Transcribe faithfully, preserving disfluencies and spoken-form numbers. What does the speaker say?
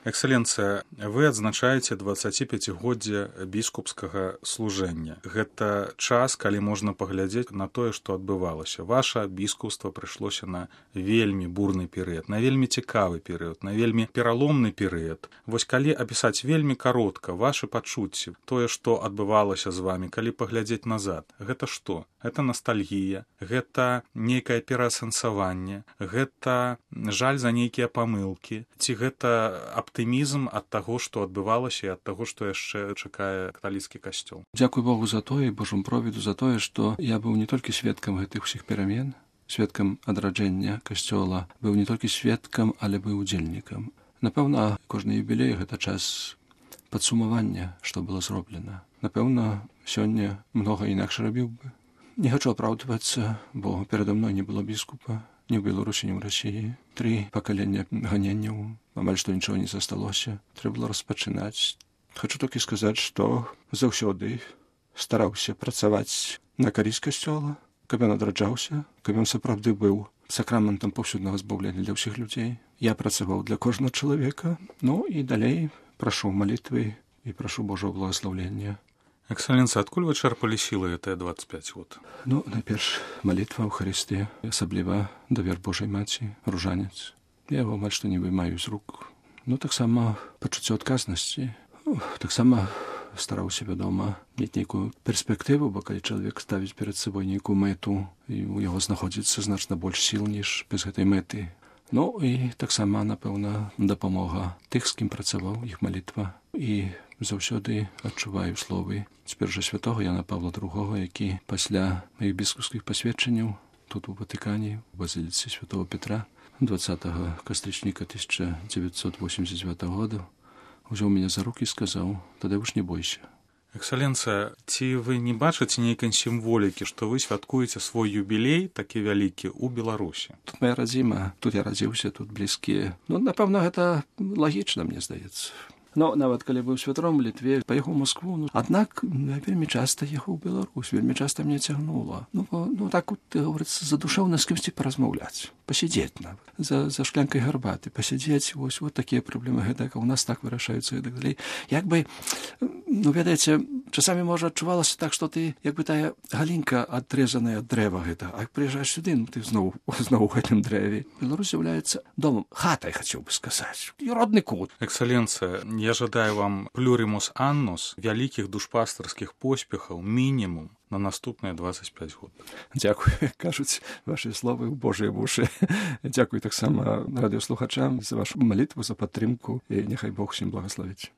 Экселенцыя, вы адзначаеце дваццаціпяцігоддзе біскупскага служэння. Гэта час, калі можна паглядзець на тое, што адбывалася. Ваша біскупства прыйшлося на вельмі бурны перыяд, на вельмі цікавы перыяд, на вельмі пераломны перыяд. Вось калі апісаць вельмі каротка вашы пачуцці, тое, што адбывалася з вамі, калі паглядзець назад, гэта што? Гэта ностальгія, гэта нейкае пераасэнсаванне, гэта жаль за нейкія памылкі, ці гэта аптымізм ад таго, што адбывалася і ад таго, што яшчэ чакае каталіцкі касцёл. Дзякуй Богу за тое, Божым провіду за тое, што я быў не толькі сведкам гэтых усіх перамен, сведкам адраджэння касцёла, быў не толькі сведкам, але быў удзельнікам. Напэўна, кожны юбілей гэта час падсумавання, што было зроблена. Напэўна, сёння многа інакш рабіў бы. Не хачу апраўдвацца, бо перада мной не было біскупа, ні ў Беларусі, ні ў Расіі. Тры пакалення ганенняў, амаль што нічого не засталося. Трэба было распачынаць. Хачу толькі сказаць, што заўсёды стараўся працаваць на карысць касцёла, каб ён адраджаўся, каб ён сапраўды быў сакраментам паўсюднага збаўлення для ўсіх людзей. Я працаваў для кожнага чалавека. Ну і далей прашу малітвы і прашу Божого благаслаўлення. Экселенцыя, адкуль вы чэрпалі сілы гэтыя дваццаць пяць год? Ну, найперш, малітва, Эўхарыстыя, асабліва давер Божай Маці, ружанец. Я яго амаль што не вымаю з рук. Ну, таксама пачуццё адказнасці. Ну, таксама стараўся, вядома, мець нейкую перспектыву, бо калі чалавек ставіць перад сабой нейкую мэту, і у яго знаходзіцца значна больш сіл, ніж без гэтай мэты. Ну, і таксама, напэўна, дапамога тых, з кім працаваў, іх малітва. І заўсёды адчуваю словы цяпер жа святога Яна Павла другога, які пасля маіх біскупскіх пасведчанняў тут у Ватыкане, у базіліцы святого Петра, двадцатага кастрычніка тысяча дзевяцьсот восемьдесят девятого года, узяў мяне за рукі і сказаў: «Тадeusz, не бойся». Экселенцыя, ці вы не бачыце нейкай сімволікі, што вы святкуеце свой юбілей, такі вялікі, у Беларусі? Тут моя радзіма, тут я радзіўся, тут блізкія. Ну, напэўна, гэта лагічна, мне здаецца. Ну, нават калі быў святаром у Літве, паехаў у Москву, ну, аднак я вельмі часта ехаў у Беларусь, вельмі часта мне цягнула. Ну, бо, ну так, вот, говорится, задушэўна з кімсьці паразмаўляць, пасядзець нават, за, за шклянкай гарбаты, пасядзець, вось, вот такія праблемы, гэтак, у нас так вырашаюцца і так далей. Як бы, ну, ведаеце, часамі, можа, адчувалася так, што ты, як бы тая галінка адрэзаная ад дрэва гэта, а прыязджаеш сюды, ну, ты зноў, зноў у гэтым дрэве. Беларусь з'яўляецца домам, хатай, хацеў бы сказаць, і родны кут. Экселенцыя, я жадаю вам плюримус аннус, вялікіх душпастарскіх поспехаў, мінімум на наступныя двадцять пять год. Дзякуй, кажуць вашы словы ў Божыя вушы. Дзякуй таксама радыёслухачам за вашу малітву, за падтрымку, і няхай Бог усім благасловіць.